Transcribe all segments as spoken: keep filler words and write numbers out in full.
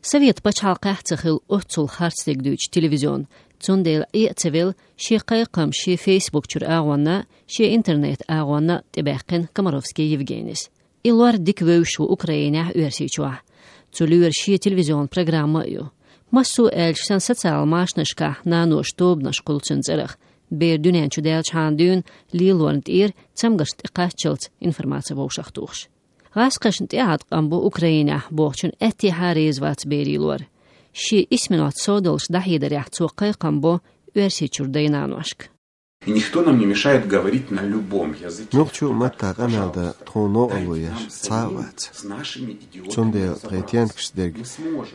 Совет пачхьалкхехь ца хилла оццул харц стаг дуьйцу телевизион. Цундела Ӏе а ца велла, шен кхайкхам шен Facebook чуьра агӀонна, шен интернет-агӀонна тӀебаьккхина Комаровский Евгенис. И лор дика вевзаш ву Украинехь, Оьрсийчохь. Цу лоьра шен телевизион программа а ю. Массо а аьлча, сан социал машанашкахь наноша тобанаш кхуллу цуьнан цӀарах. Бер дуьнен чу даьллачхьана дуьйна лелорна тӀера цамгарш тӀекхаччалц информаци вовшахтухуш. ГӀазкхашна тӀеӀаткъам бу Украинехь бохучун аьттехьа реза вац берийн лор. Шен исманца со долуш дӀахьедарехь цо кхайкхам бо Оьрсийчуьра дай-наношка. И никто нам не мешает говорить на любом языке. Нохчо маттахь къамел дан тхуна новкъарло еш цхьа а вац. Цундела тхайн тентакаш дерг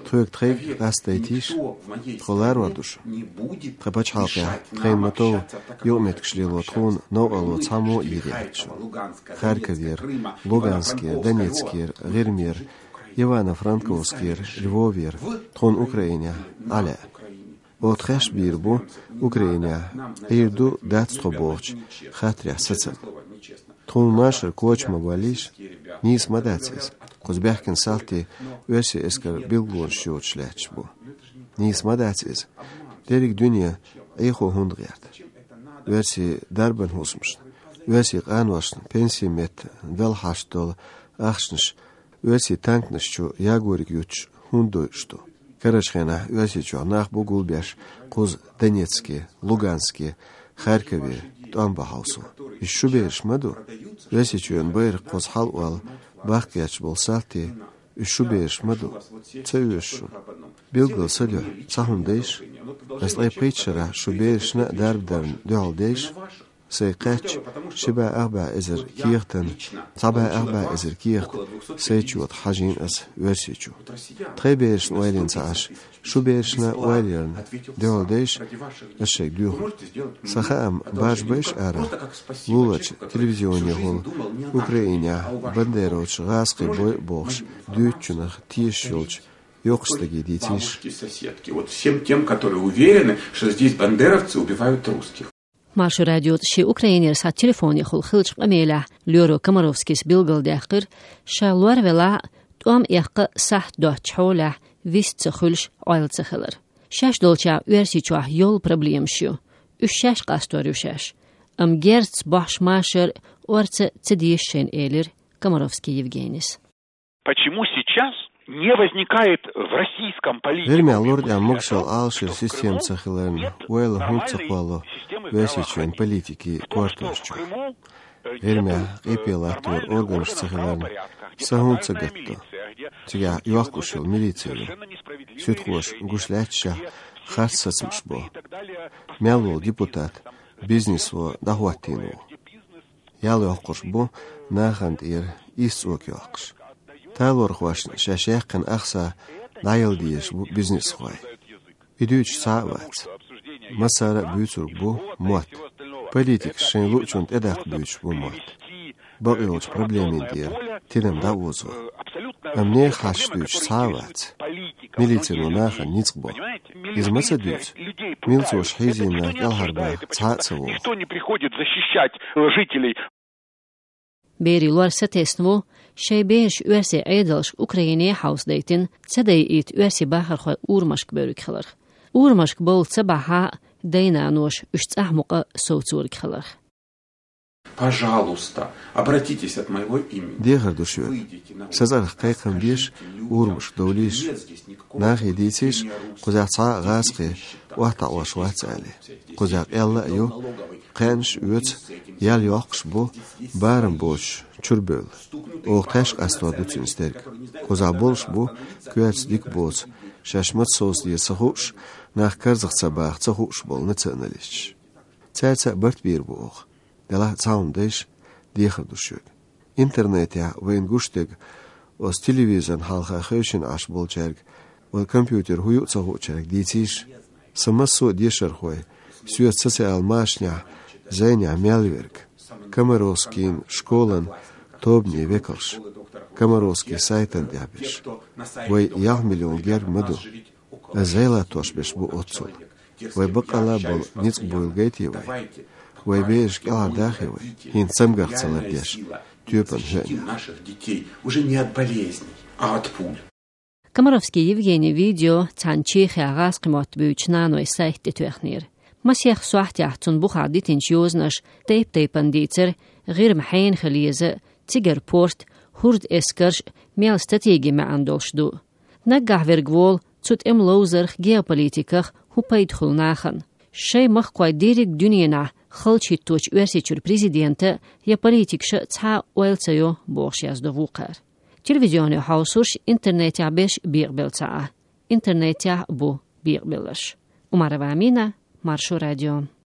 тхоьга тхайга къастадайтийша, тхо ларор ду шу. Тхан пачхьалкхехь тхайна ма-тов юкъаметтигаш лело тхуна новкъарло цхьаммо а йийр яц шуна. Харьковера, Луганскера, Донецкера, ГӀирмера, Ивано-Франковскера, Львовера, тхуна Украинехь Ӏа лаьа. Оха тхаьш бийр бу Украинехь, Ӏийр ду, дац тхо бохучу хаттарехь сацам. Тхуна машар коча ма боллийша, нийса ма дац иза. Кхуза баьхкина салти оьрсийн эскаран билгалонаш йоцуш лаьтташ бу. Нийса ма дац иза. Дерриг дуьне Ӏехо хӀунда гӀерта? Оьрсийн дарбан хӀусамашна, оьрсийн къаношна пенсийн метта далла хьашт долу ахчанаш оьрсийн танканаш чу ягориг юттуш хӀунда дойуш ду? Карарчу хенахь Оьрсийчохь нах бу гулбеш кхуза Донецке, Луганске, Харькове тӀом бан хьовсо. Иза шун бераш ма ду? Оьрсийчоьнан байракх кхуза хьалаолла бахка гӀерташ болу салти, иза шун бераш ма ду? Ца оьшу шуна. Билггал са дуьхьа цхьа хӀума дайша. Аса ткъе пхийтта шарахь шун берашна а дарба дарна дуьхьал дайша. Сайга кхаьчча, ши бӀе ах бӀе эзар кехатан, цхьа бӀе ах бӀе эзар кехат сайчу тӀе хьажийна аса Оьрсийчу. Тхайн берашна ойла йина ца Ӏаш, шун берашна ойла ярна дуьхьал дайша, аса шайга доьху. Сан хаам, баржа байша ара, луларчу телевизионехула Украинехь бандеровцаш гӀазкхий бойъу бохуш дуьйцучунах тешаш йолчу йоккхачу стаге дийцийша. Соседки. Вот всем тем, которые уверены, что здесь бандеровцы убивают русских. Маршо радиоца шен Украинера схьа телефонехула хиллачу къамелехь лоьро Комаровскийс билгалдаьккхира, ша лор велахь а, тӀом эккха сахьт доцучу хьолехь вист ца хуьлуш Ӏойла ца хилар. Шаьш долчохь Оьрсийчохь йолу проблемаш ю, уьш шаьш къастор ю шаьш. Амма герзаца бохьуш машар орца ца деза шайна, элира Комаровский Евгенис. Почему сейчас не возникает в российском политике... ГӀирмехь лур тӀехь могушалла Ӏалашъяран система ца хиларна ойла хӀунда ца кхолло Оьрсийчоьнан политикийн кортош чу? ГӀирмехь къепе латторан органаш ца хиларна са хӀунда ца гатдо? Цигахь йоккхуш йолу милици ю. Суьдхоша гуш лаьтташехь харц сацамаш бо. Мел волу депутат бизнесо дӀахӀоттийна ву. Ял йоккхуш бу нахана тӀера исцӀок йоккхуш. Талорхошна шаьш яьккхина ахча дӀаяла дезаш бу бизнесхой. И дуьйцуш цхьа а вац. Массара а буьйцург бу мотт. Политикаша шайн луучунна тӀедаккха буьйцуш бу мотт. Бакъйолчу проблемийн тӀера тидам дӀаозо. Амма нехан хьашташ дуьйцуш цхьа а вац. Милицино нахана ницкъ бо. Иза ма ца дуьйцу. Милцоша хьийзийна нах кӀелхьарбаха цхьа а ца вогӀу. Никто не приходит защищать, э, жителей. Берийн лор сатесна ву, шайн бераш оьрсийн Ӏедалша Украине хьовсадайтина, ца дайийта оьрсийн бахархой урамашка бевлларг хиларх. Урамашка бовла ца бахьа а, дай-наноша уьш цӀахь мукъа совцориг хиларх. Пожалуйста, обратитесь от моего имени. Дехар ду шуьга. Сан цӀарах кхайкхам беша, урамашка довлийша. Нахе дийцийша, кхузахь цхьа а гӀазкхи охьатаӀош вац аьлла. Кхузахь къелла а ю, кхаьънаш а оьцу, ял йоккхуш бу, барам боцуш чуьра бевлла. Оха тхаьш къастор ду цуьнца дерг. Кхузахь болуш бу, коьрта дика боцу, шаьш маца совцаде ца хууш, нах карзах ца баха ца хууш болу националисташ. Цаьрца а барт бийр бу оха. Делахь а цхьа хӀума дайша, дехар ду шуьга. Интернетехь вайна гуш дерг, оцу телевизорна хьалха хевшина Ӏаш болчаьрга, вайн компьютер хӀун ю а ца хуучаьрга дийцийша. Сан массо а дешархой, соьца социал машанехь, зӀенехь мел верг, Комаровскийн школан тобанийн векалш, Комаровский сайтан тӀехь берш. Вай ялх миллион герга ма ду. Ас зӀе латтош берш бу оццул. Вай баккъалла а болу ницкъ буйла гайтий вай? Вай бераш кӀелхьардахий вай, хӀинца цамгарх ца лардеш, тоьпан хӀоьънехь? Наших детей уже не от болезней, а от пуль. Комаровский Евгений видео цхьана Чехехь гӀазкхи мотт буьйцучу наной сайта тӀе тоьхнера. Масех сохьтехь цунна бухахь дитинчу йозанаша тайп-тайпана дийцира, ГӀирма хьенан хила еза, цигара порт, хӀорда эскарш, мел стратегин маьӀна долуш ду. Наггахь верг волу цу тӀеман ловзарх, геополитиках хӀун пайда хуьлу нахана. Шайн махкахой дерриг дуьненахь халчахӀитточу Оьрсийчуьра президента я политикаша цхьа а ойла ца йо, бохуш яздо вукхара. Телевизионе хьовсурш интернетехь беш бекъабелла ца Ӏа. Интернетехь бу бекъабелларш. Умарова Амина, Маршо радио.